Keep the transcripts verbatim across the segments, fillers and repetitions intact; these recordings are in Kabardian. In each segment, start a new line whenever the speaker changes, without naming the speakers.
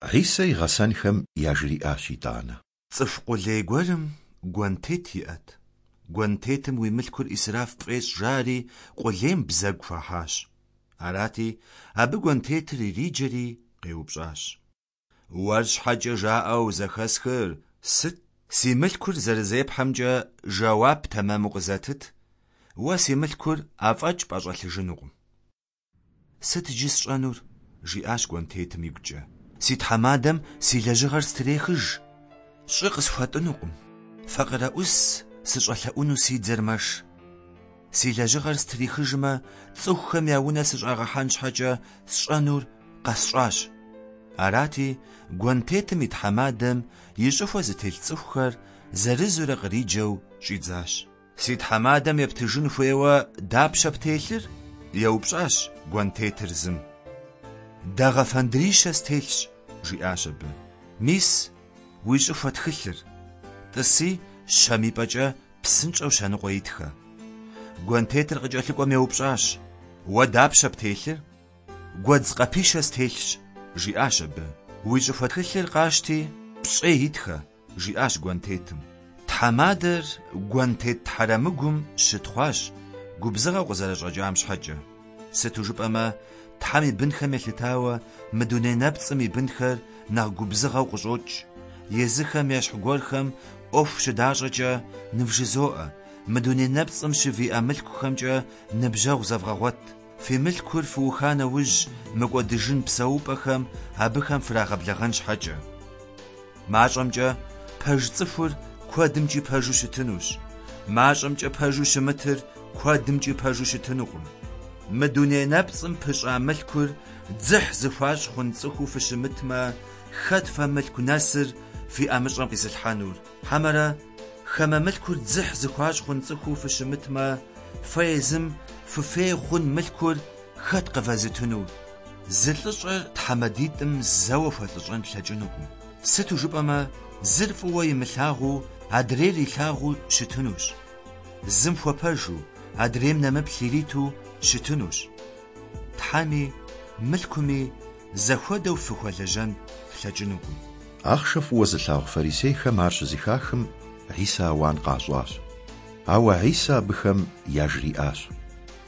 Хьисэ и гъэсэнхэм яжриӏащ итӏанэ.
Цӏыху къулей гуэрым гуэнтет иӏэт. Гуэнтетым уи мылъкур ӏисраф пфӏещӏ жари къулейм бзэгу хуахьащ. Арати, абы гуэнтетыр ириджэри къеупщӏащ. Уэр щхьэкӏэ жаӏэу зэхэсхыр сыт? Си мылъкур зэрызепхьэмкӏэ жэуап тэмэму къызэтыт, уэ си мылъкур афӏэкӏ пӏэщӏэлъыжынукъым. Сыт иджы сщӏэнур? Жиӏащ гуэнтетым игукӏэ. Си тхьэмадэм си лэжьыгъэр стрехыж. Щӏы къысхуэтӏынукъым. Факъырэӏус сыщӏэлъэӏуну си дзэр мэш. Си лэжьыгъэр стрихыжмэ, цӏыхухэм я унэ сыщӏагъэхьэн щхьэкӏэ сщӏэнур къэсщӏащ. Арати, гуэнтетым и тхьэмадэм и щӏыхуэ зытелъ цӏыхухэр зэрызурэ къриджэу щӏидзащ. Си тхьэмадэм ептыжын хуейуэ дапщэ птелъыр? Еупщӏащ гуэнтетыр зым. Дагъэ фэндрищэ стелъщ, жиӏащ абы. Мис уи щӏыхуэ тхылъыр. Тӏыси щэм и пӏэкӏэ псынщӏэу щэныкъуэ итхэ. Гуэнтетыр къыкӏэлъыкӏуэм еупщӏащ. Уэ дапщэ птелъыр? Гуэдз къэпищэ стелъщ, жиӏащ абы. Уи щӏыхуэ тхылъыр къащти, пщӏей итхэ, жиӏащ гуэнтетым. Тхьэмадэр гуэнтет хьэрэмыгум щытхъуащ, губзыгъэу къызэрыщӏэкӏам щхьэкӏэ. Сыту жыпӏэмэ, Тхьэм и бынхэм елъытауэ мы дуней нэпцӏым и бынхэр нэхъ губзыгъэу къыщӏокӏ. Езыхэм ещхь гуэрхэм ӏуэху щыдащӏэкӏэ нывжызоӏэ, мы дуней нэпцӏым щывиӏэ мылъкухэмкӏэ ныбжьэгъу зэвгъэгъуэт. Фи мылъкур фыуха нэужь мыкӏуэдыжын псэупӏэхэм абыхэм фрагъэблэгъэн щхьэкӏэ. Мащӏэмкӏэ пэж цӏыхур куэдымкӏи пэжу щытынущ. Мащӏэмкӏэ пэжу щымытыр куэдымкӏи пэжу щытынукъым. Мы дуней нэпцӏым пыщӏа мылъкур дзыхь зыхуащӏ хъун цӏыхуу фыщымытмэ, хэт фэ мылъку нэсыр фи ӏэмыщӏэм къизылъхьэнур? Хьэмэрэ хамэ мылъкур дзыхь зыхуащӏ хъун цӏыхуу фыщымытмэ, фэ езым фыфей хъун мылъкур хэт къывэзытынур? Зы лӏыщӏэр тхьэмадитӏым зэуэ хуэлӏыщӏэн лъэкӏынукъым. Сыту жыпӏэмэ, зыр фӏыуэ имылъагъуу, адрейр илъагъуу щытынущ. Зым хуэпэжу, адрейм нэмыплъ ириту щытынущ. Тхьэми мылъкуми зэхуэдэу фыхуэлэжьэн флъэкӏынукъым.
Ахъшэ фӏыуэ зылъагъу фарисейхэм ар щызэхахым, Хьисэ ауан къащӏащ. Ауэ Хьисэ абыхэм яжриӏащ.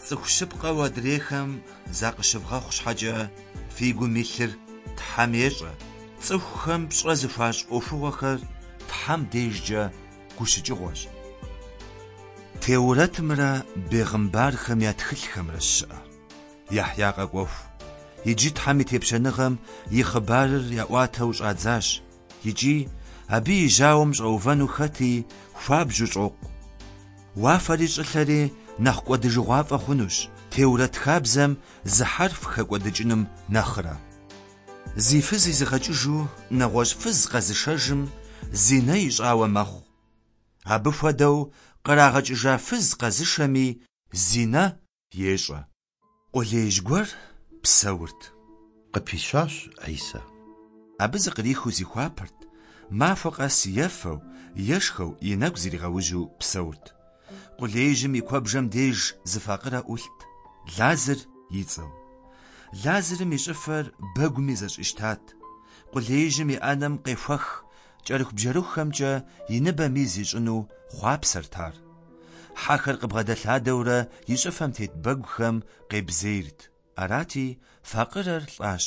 Цӏыху щыпкъэу адрейхэм закъыщывгъэхъу щхьэкӏэ фи гум илъыр Тхьэм ещӏэ. Цӏыхухэм пщӏэ зыхуащӏ ӏуэхугъуэхэр Тхьэм дежкӏэ гущыкӏыгъуэщ. Теурэтымрэ бегъымбархэм я тхылъхэмрэ щыӏэ. Яхья къэкӏуэху. Иджы Тхьэм и тепщэныгъэм и хъыбарыр яӏуатэу щӏадзащ, икӏи абы и жьауэм щӏэувэну хэти хуабжьу щӏокъу. Уафэри щӏылъэри нэхъ кӏуэдыжыгъуафӏэ хъунущ, Теурэт хабзэм зы хьэрф хэкӏуэдыкӏыным нэхърэ. Зи фыз изыгъэкӏыжу нэгъуэщӏ фыз къэзышэжым зинэ ищӏауэ мэхъу. Абы хуэдэу кърагъэкӏыжа фыз къэзышэми зинэ ещӏэ. Къулеижь гуэр псэурт.
Къыпищащ Хьисэ.
Абы зыкърихыу зихуапэрт, махуэ къэс ефэу, ешхэу, и нэгу зригъэужьу псэурт. Къулеижьым и куэбжэм деж зы факъырэ ӏулът, Лазар и цӏэу. Лазарым и щӏыфэр бэгуми зэщӏищтат. Къулеижьым и ӏэнэм къехуэх кӏэрыхубжьэрыхухэмкӏэ и ныбэм из ищӏыну хъуапсэрт ар. Хьэхэр къыбгъэдэлъадэурэ и щӏыфэм тет бэгухэм къебзейрт. Арати, факъырэр лӏащ,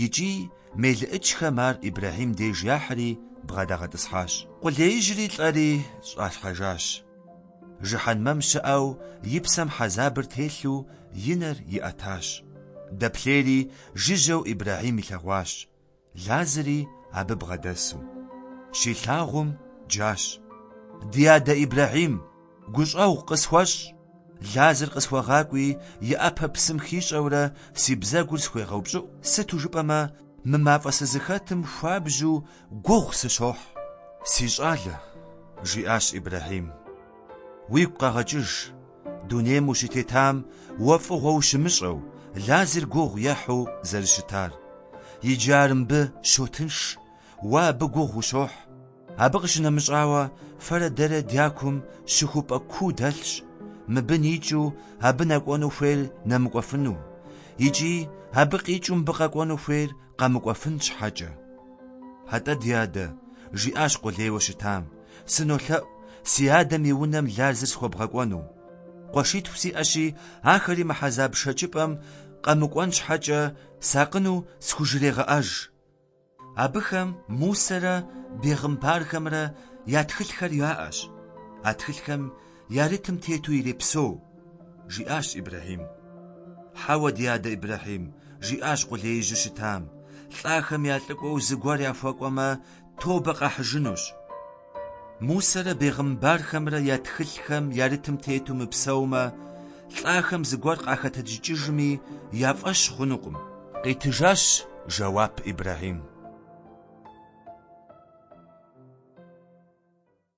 икӏи мелыӏычхэм ар Ибрэхьим деж яхьри бгъэдагъэтӏысхьащ. Къулеижьри лӏэри щӏалъхьэжащ. Жыхьэнмэм щыӏэу и псэм хьэзабыр телъу и нэр иӏэтащ. Дэплъейри жыжьэу Ибрэхьим илъэгъуащ, Лазари абы бгъэдэсу. Щилъагъум джащ. Ди адэ Ибрэхьим, гущӏэгъу къысхуэщӏ, Лазар къысхуэгъакӏуи и ӏэпэ псым хищӏэурэ си бзэгур схуегъэупщӏыӏу, сыту жыпӏэмэ мы мафӏэ сызыхэтым хуабжьу гугъу сыщохь. Си щӏалэ, жиӏащ Ибрэхьим, уигу къэгъэкӏыж, дунейм ущытетам уэ фӏыгъуэ ущымыщӏэу, Лазар гугъу ехьу зэрыщытар. Иджы ар мыбы щотынш, уэ абы гугъу ущохь. Абы къыщынэмыщӏауэ фэрэ дэрэ дякум щыхупӏэ куу дэлъщ, мыбы никӏыу абы нэкӏуэну хуейр нэмыкӏуэфыну, икӏи абы къикӏыу мыбы къэкӏуэну хуейр къэмыкӏуэфын щхьэкӏэ. Атӏэ, ди адэ, жиӏащ къулейуэ щытам, сынолъэӏу си адэм и унэм Лазар схуэбгъэкӏуэну. Къуэшитху сиӏэщи, ахэри мы хьэзаб шэчыпӏэм къэмыкӏуэн щхьэкӏэ сакъыну схужрегъэӏэж. Абыхэм Мусэрэ бегъымбархэмрэ я тхылъхэр яӏэщ. А тхылъхэм ярытым тету ирепсэу, жиӏащ Ибрэхьим. Хьэуэ, ди адэ Ибрэхьим, жиӏащ къулеижьу щытам, лӏахэм я лӏыкӏуэу зыгуэр яхуэкӏуэмэ, тобэ къахьыжынущ. Мусэрэ бегъымбархэмрэ я тхылъхэм ярытым тету мыпсэумэ, лӏахэм зыгуэр къахэтэджыкӏыжми, я фӏэщ хъунукъым. Къитыжащ жэуап Ибрэхьим.